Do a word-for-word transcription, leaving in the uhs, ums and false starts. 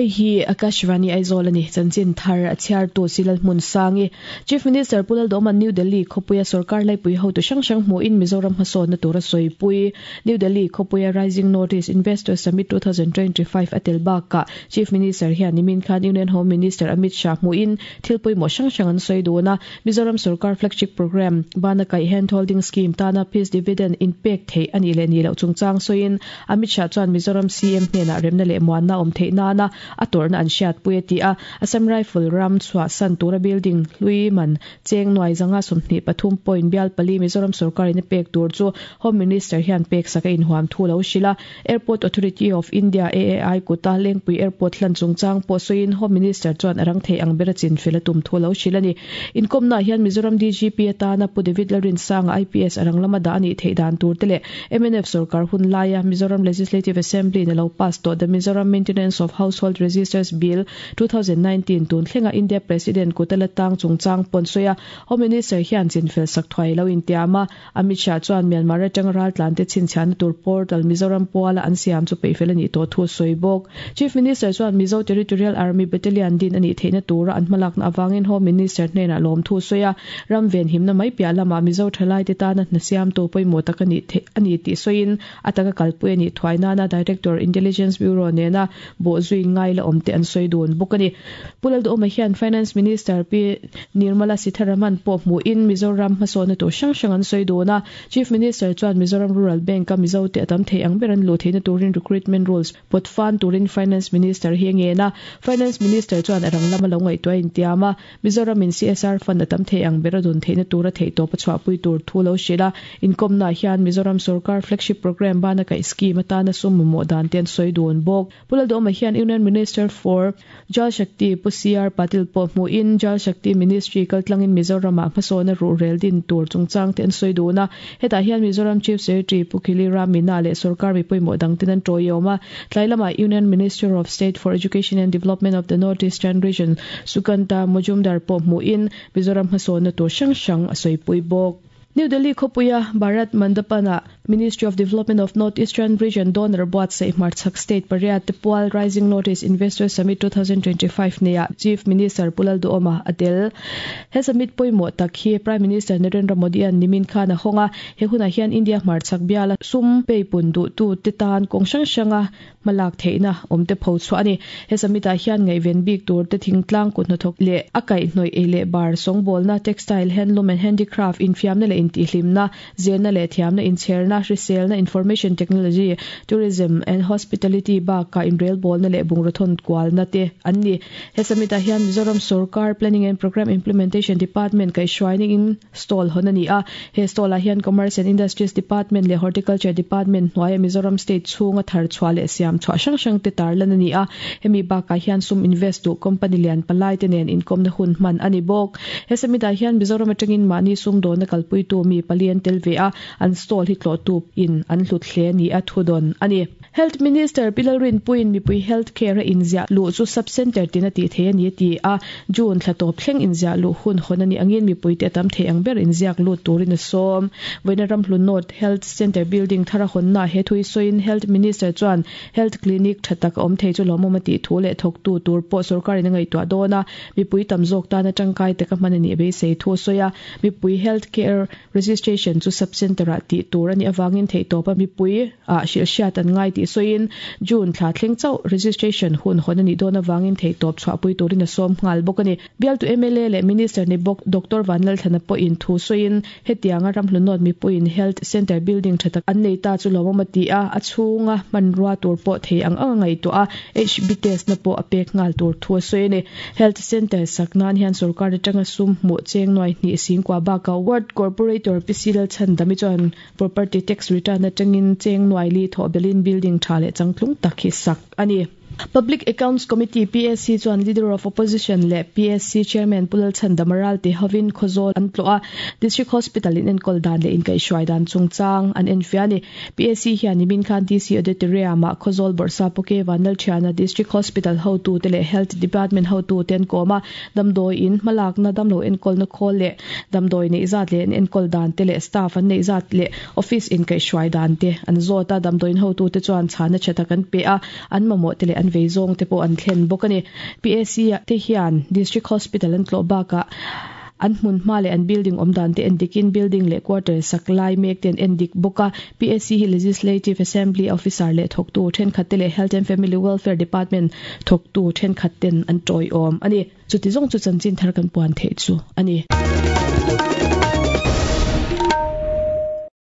Hei hi Akashvani Aizawl ani chanchin thar a chhiar tu Silal Hmun Sangi Chief Minister Pu Lalduhoma New Delhi khawpuia sarkar laipui hotu hrang hrang hmuin Mizoram hmasawnna tura sawipui New Delhi khawpuia Rising North East Investor Summit twenty twenty-five a tel bakah Chief Minister hian nimin khan Union Home Minister Amit Shah hmuin thil pawimawh hrang hrang an sawi dun a Mizoram sarkar flagship program Bana Kaih Hand Holding Scheme tana peace dividend in pek thei ani le ni lo chungchang sawiin Amit Shah chuan Mizoram C M hnenah remna leh muanna awm theih nana a torna an hriat pui a ti a Assam Rifle ram chhuah san tura building hlui man cheng nuai zanga sawmhnih pathum point bial pali Mizoram sarkar in a pek tur chu Home Minister hian pek saka inhuam thu lo hrila Airport Authority of India A A I kuta Lengpui Airport hlan chungchang pawh sawiin Home Minister chuan a rang thei ang bera chin fel a tum thu lo hril ani inkomna hian Mizoram D G P atana Pu David Lalrin Sanga I P S arang lama da ani thei dan tur te le M N F sarkar hun laia Mizoram Legislative Assembly na lo pass to the Mizoram Maintenance of Household Registers Bill twenty nineteen tun thlenga India President kutala tang chungchang pon soya Home Minister hian chinfel sak thwai lo in tiama Amit Shah chuan Myanmar atang ral tlan te chinchhan tur portal Mizoram puala an siam chu peifel ani to thu soibok Chief Minister chuan Mizo Territorial Army Battalion din ani theina tura an hmalak na awangin Home Minister hnena lom thu soya ramven himna mai pia lama Mizo thalai te tana na siam to poimo tak ani the ani ti soin ataka kalpui ani thwaina na Director Intelligence Bureau nena bo zui ngai la omte an soi dun bukani Pu Lalduhoma hian Finance Minister P Nirmala Sitharaman pawh hmu in Mizoram hmasawna tur hrang hrang an sawi dun a Chief Minister chuan Mizoram Rural Bank a Mizo te atam thei ang ber an lu theihna turin recruitment rules potfan turin Finance Minister hi ngena Finance Minister chuan arang lama lo ngaihtuah in tiama Mizoram in C S R fund atam thei ang ber a dun theihna tura thei tawp a chhuahpui tur thu lo hrila inkomna hian Mizoram sarkar flagship program bana ka scheme atana sum mamawh dan te an sawi dun bawk Pu Lalduhoma hian Union Minister for Jal Shakti Pu C R Patil pawh hmuin Jal Shakti Ministry kaltlangin Mizoram ah hmasawna ruhrel din tur chungchang te an sawi dun a hetah hian Mizoram Chief Secretary Pu Khili Ramina leh sarkar mi pawimawh dang ten an tawiawm a tlai lamah Union Minister of State for Education and Development of the North Eastern Region Sukanta Majumdar pawh hmuin Mizoram hmasawna tur hrang hrang a sawipui bawk New Delhi khawpuia Bharat Mandapana Ministry of Development of North Eastern Region donor buatsaih hmarchhak state pariat te pual Rising North East Investor Summit twenty twenty-five neia Chief Minister Pu Lalduhoma a tel he summit pawimawh tak hi Prime Minister Narendra Modi an nimin khan a hawnga he hunah hian India hmarchhak biala sum peipun duh tu te tan kawng hrang hranga hmalak theihna awm te pho chhuah ani he summit ah hian ngaihven bik tur te thingtlang kut hnathawk leh a kaihhnawih ei leh bar sawngbawlna textile handloom and handicraft infiamna leh intihhlimna zirna leh thiamna inchherna hriselna information technology tourism and hospitality bakah inrelbawlna leh bungraw kualna te an ni he summit ah hian Mizoram sarkar Planning and Program Implementation Department kaihhruaining in stall hawn ani a he stall ah hian Commerce and Industries Department leh Horticulture Department hnuaia Mizoram state chhunga thar chhuah leh siam chhuah hrang hrang te tarlan ani a hemi bakah hian sum invest tu company lian palai te nen inkomna hun hman ani bawk he summit ah hian Mizoram atangin mahni sum dawna kalpui tu mi pali an tel ve a an stall hi tlo tu in an hlut hle ni a thudon ani Health Minister Pi Lalrinpuiin mipui health care a inziah luh chu sub center tin a tih thei ani a ti a June thla tawp thleng inziah luh hun hawn ani angin mipui te tam thei ang ber inziak lut turin a sawm Vawiina Ramhlun North Health Center building thara hawnna he thui sawiin Health Minister chuan health clinic tha tak awm thei chu lawmawm a tih thu leh thawk tu tur pawh sarkarin a ngaihtuah dawn a mipui tam zawk tan atangkai taka hman ani beisei thu sawi a mipui health care registration chu sub center ah tih tur ani awangin thei tawp a mipui a hrilh hriat an ngai ti sawiin June thla thleng chauh registration hun hawn ani dawn awangin thei tawp chhuahpui turin a sawm nghal bawk ani bialtu M L A leh Minister ni bawk Doctor Vanlalthlana pawhin thu sawiin hetianga Ramhlun North mipuiin health center building tha tak an nei ta chu lawmawm a ti a a chhunga hmanrua tur pawh thei ang ang a ngaihtuah a H B test na pawh a pek nghal tur thu a sawi ani health center sak nan hian sarkar atanga sum hmuh cheng nuai hnih singkua bakah ward corporator P C Lalchhandami chuan property tax return atangin cheng nuai li thaw belin building tha leh changtlung tak hi sak ani Public Accounts Committee P S C chuan Leader of Opposition le P S C Chairman Pu Lalchhandama Ralte hovin Khawzawl an tlawh a District Hospital in enkawl dan leh inkaihhruai dan chungchang an enfiah ani P S C hian nimin khan D C Auditorium ah Khawzawl Bawrhsap Pu K Vanlalthiana District Hospital hotu te leh Health Department hotu te an kawm a damdawi in hmalakna damlo enkawlna khawl leh damdawi neih zat leh an enkawl dan te leh staff an neih zat leh office inkaihhruai dan te an zawt a damdawi in hotu te chuan chhana tha tak an pe a an mamawh te leh leh an vei zawng te pawh an thlen bawk a ni. P A C te hian District Hospital an tlawh bakah an hmun hma leh an building awm dan te endikin building leh quarter sak lai mek ten endik bawk a. P A C hi Legislative Assembly officer leh thawktu thenkhat te leh Health and Family Welfare Department thawktu thenkhat ten an tawiawm ani. Chuti zawng chu chanchin thar kan puan theih chu ani.